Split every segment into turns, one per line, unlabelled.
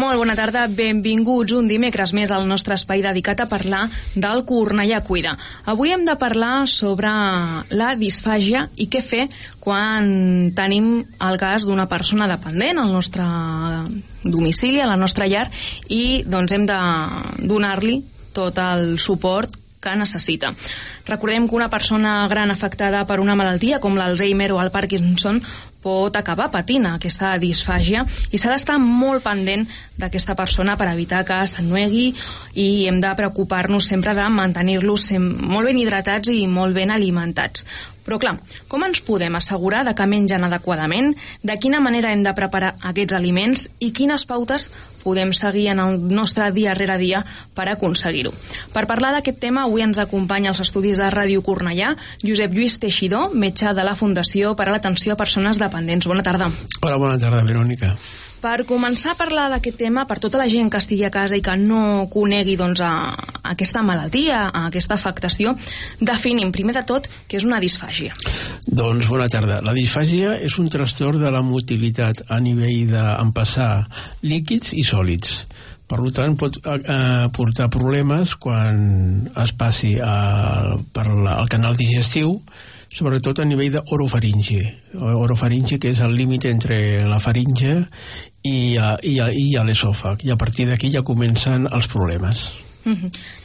Molt bona tarda, benvinguts un dimecres més al nostre espai dedicat a parlar del Cornellà Cuida. Avui hem de parlar sobre la disfàgia i què fer quan tenim el cas d'una persona dependent al nostre domicili, a la nostra llar, i doncs hem de donar-li tot el suport que necessita. Recordem que una persona gran afectada per una malaltia com l'Alzheimer o el Parkinson pot acabar patint aquesta disfàgia i s'ha d'estar molt pendent d'aquesta persona per evitar que s'ennuegui, i hem de preocupar-nos sempre de mantenir-los molt ben hidratats i molt ben alimentats. Però clar, com ens podem assegurar de que mengen adequadament, de quina manera hem de preparar aquests aliments i quines pautes podem seguir en el nostre dia rere dia per aconseguir-ho? Per parlar d'aquest tema, avui ens acompanya als estudis de Ràdio Cornellà Josep Lluís Teixidor, metge de la Fundació per a l'Atenció a Persones Dependents. Bona tarda.
Hola, bona tarda, Verònica.
Per començar a parlar d'aquest tema, per tota la gent que estigui a casa i que no conegui aquesta malaltia, aquesta afectació, definim primer de tot què és una disfàgia.
Doncs bona tarda. La disfàgia és un trastorn de la motilitat a nivell d'empassar líquids i sòlids. Per tant, pot portar problemes quan es passi per el canal digestiu, sobretot a nivell d'orofaringe. Orofaringe, que és el límit entre la faringe i l'esòfag. I a partir d'aquí ja comencen els problemes.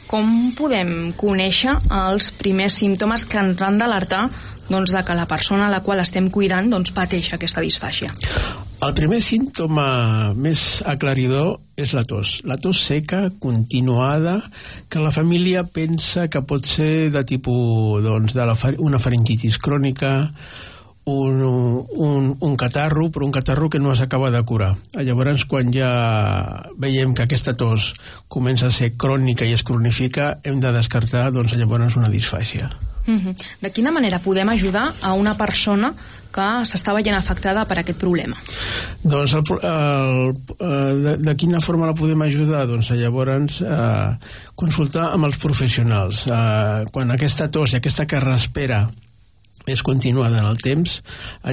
Com podem conèixer els primers símptomes que ens han d'alertar de que la persona a la qual estem cuidant pateix aquesta disfàgia?
El primer símptoma més aclaridor és la tos. La tos seca, continuada, que la família pensa que pot ser de tipus una faringitis crònica, un catarro, però un catarro que no s'acaba de curar. Llavors, quan ja veiem que aquesta tos comença a ser crònica i es cronifica, hem de descartar llavors una disfàgia.
De quina manera podem ajudar a una persona que s'està veient afectada per aquest problema?
Doncs de quina forma la podem ajudar? Doncs llavors consultar amb els professionals. Quan aquesta tos i aquesta carraspera és continuada en el temps,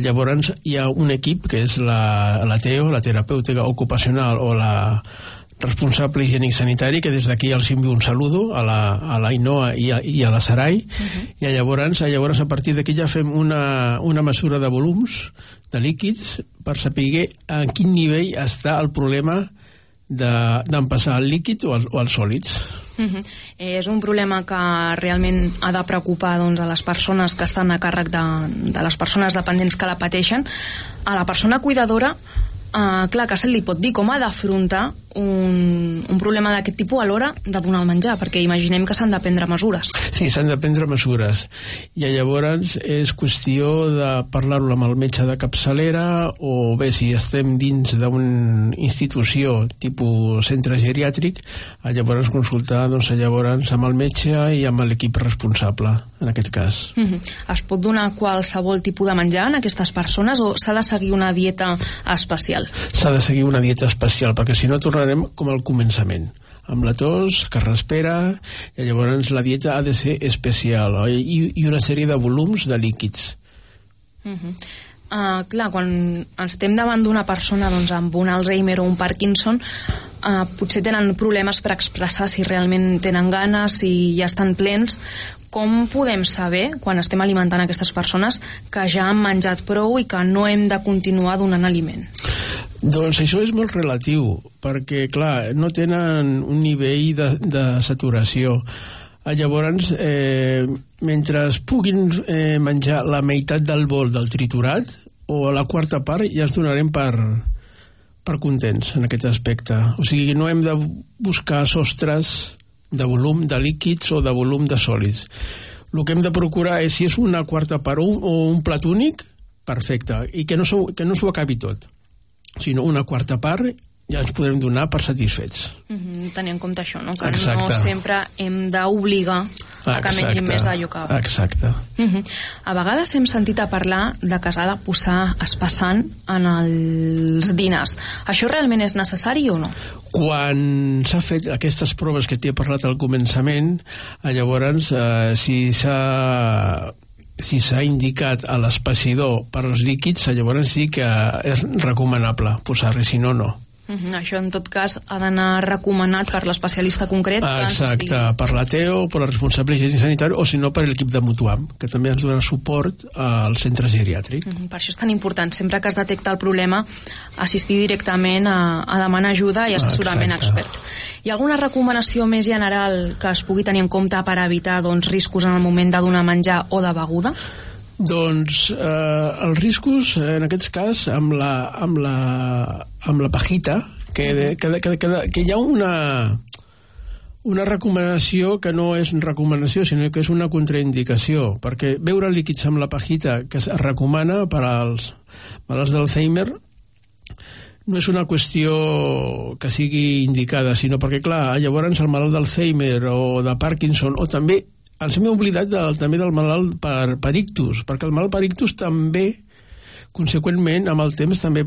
llavors hi ha un equip que és la TEO, la terapèutica ocupacional, o la responsable higiènic sanitari, que des d'aquí els envio un saludo a l'Ainoa i a la Sarai, i llavors a partir d'aquí ja fem una mesura de volums de líquids per saber a quin nivell està el problema d'empassar el líquid o els sòlids.
És un problema que realment ha de preocupar a les persones que estan a càrrec de les persones dependents que la pateixen. A la persona cuidadora, clar, que se li pot dir com ha d'afrontar un problema d'aquest tipus a l'hora de donar el menjar, perquè imaginem que s'han de prendre mesures.
Sí, s'han de prendre mesures, i llavors és qüestió de parlar-ho amb el metge de capçalera, o bé, si estem dins d'una institució tipus centre geriàtric, llavors consultar llavors amb el metge i amb l'equip responsable, en aquest cas.
Es pot donar qualsevol tipus de menjar en aquestes persones, o s'ha de seguir una dieta especial?
S'ha de seguir una dieta especial, perquè si no tornarem com al començament, amb la tos, carraspera, i llavors la dieta ha de ser especial, i una sèrie de volums de líquids.
Clar, quan estem davant d'una persona amb un Alzheimer o un Parkinson, potser tenen problemes per expressar si realment tenen ganes, si ja estan plens. Com podem saber, quan estem alimentant aquestes persones, que ja han menjat prou i que no hem de continuar donant aliment?
Doncs això és molt relatiu, perquè, clar, no tenen un nivell de saturació. Llavors, mentre es puguin menjar la meitat del bol del triturat, o la quarta part, ja ens donarem per contents en aquest aspecte. O sigui, no hem de buscar sostres de volum de líquids o de volum de sòlids. El que hem de procurar és, si és una quarta part o un plat únic, perfecte, i que no s'ho acabi tot, sinó una quarta part, ja ens podrem donar per satisfets.
Tenir en compte això, no? Que
Exacte.
No sempre hem d'obligar a que mengin més d'allò que...
Exacte.
A vegades hem sentit a parlar de que s'ha de posar espessant en els dinars. Això realment és necessari o no?
Quan s'ha fet aquestes proves que t'he parlat al començament, llavors si s'ha indicat a l'espessidor per als líquids, llavors sí que és recomanable posar-hi, si no, no.
Això, en tot cas, ha d'anar recomanat per l'especialista concret.
Exacte, per la TEO, per la responsable higiènic sanitari, o si no per l'equip de Mutuam, que també ens dona suport al centre geriàtric.
Per això és tan important, sempre que es detecta el problema, assistir directament a demanar ajuda i assessorament expert. Hi ha alguna recomanació més general que es pugui tenir en compte per evitar riscos en el moment de donar menjar o de beguda?
Doncs els riscos, en aquest cas, amb la pajita, que hi ha una recomanació que no és recomanació, sinó que és una contraindicació, perquè beure líquids amb la pajita que es recomana per als malalts d'Alzheimer no és una qüestió que sigui indicada, sinó perquè, clar, llavors el malalt d'Alzheimer o de Parkinson, o també ens hem oblidat també del malalt per ictus, perquè el malalt per ictus també, conseqüentment, amb el temps també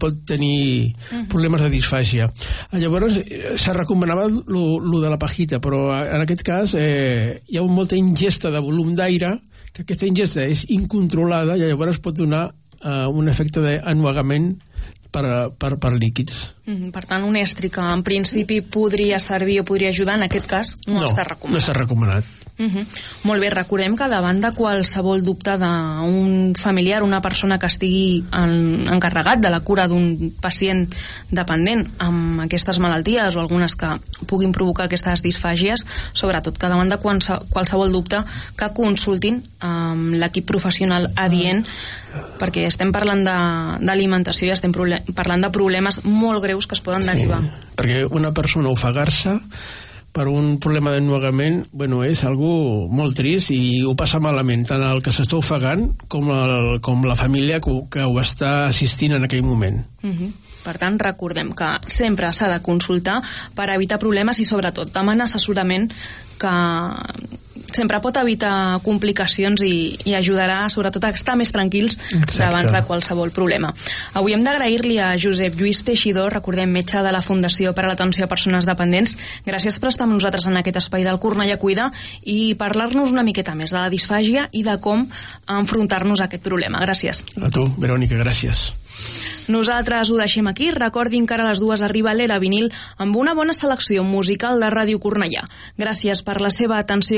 pot tenir problemes de disfàgia. Llavors, se recomanava lo de la pajita, però en aquest cas hi ha molta ingesta de volum d'aire, que aquesta ingesta és incontrolada i llavors pot donar un efecte d'ennuegament per líquids.
Per tant, un estri que en principi podria servir o podria ajudar, en aquest cas no està recomanat.
No està recomanat.
Molt bé, recordem que davant de qualsevol dubte d'un familiar, una persona que estigui encarregat de la cura d'un pacient dependent amb aquestes malalties o algunes que puguin provocar aquestes disfàgies, sobretot que davant de qualsevol dubte que consultin amb l'equip professional adient, perquè estem parlant d'alimentació i estem parlant de problemes molt greus que es poden derivar.
Perquè una persona ofegar-se per un problema d'ennuegament, és algo molt trist i ho passa malament, tant el que s'està ofegant com la família que ho està assistint en aquell moment.
Per tant, recordem que sempre s'ha de consultar per evitar problemes i, sobretot, demanar assessorament, que sempre pot evitar complicacions i ajudarà, sobretot, a estar més tranquils davant de qualsevol problema. Avui hem d'agrair-li a Josep Lluís Teixidor, recordem, metge de la Fundació per a l'Atenció a Persones Dependents. Gràcies per estar amb nosaltres en aquest espai del Cornellà Cuida i parlar-nos una miqueta més de la disfàgia i de com enfrontar-nos a aquest problema. Gràcies.
A tu, Verònica, gràcies.
Nosaltres ho deixem aquí. Recordin que ara a les 2 arriba l'Era Vinil amb una bona selecció musical de Ràdio Cornellà. Gràcies per la seva atenció.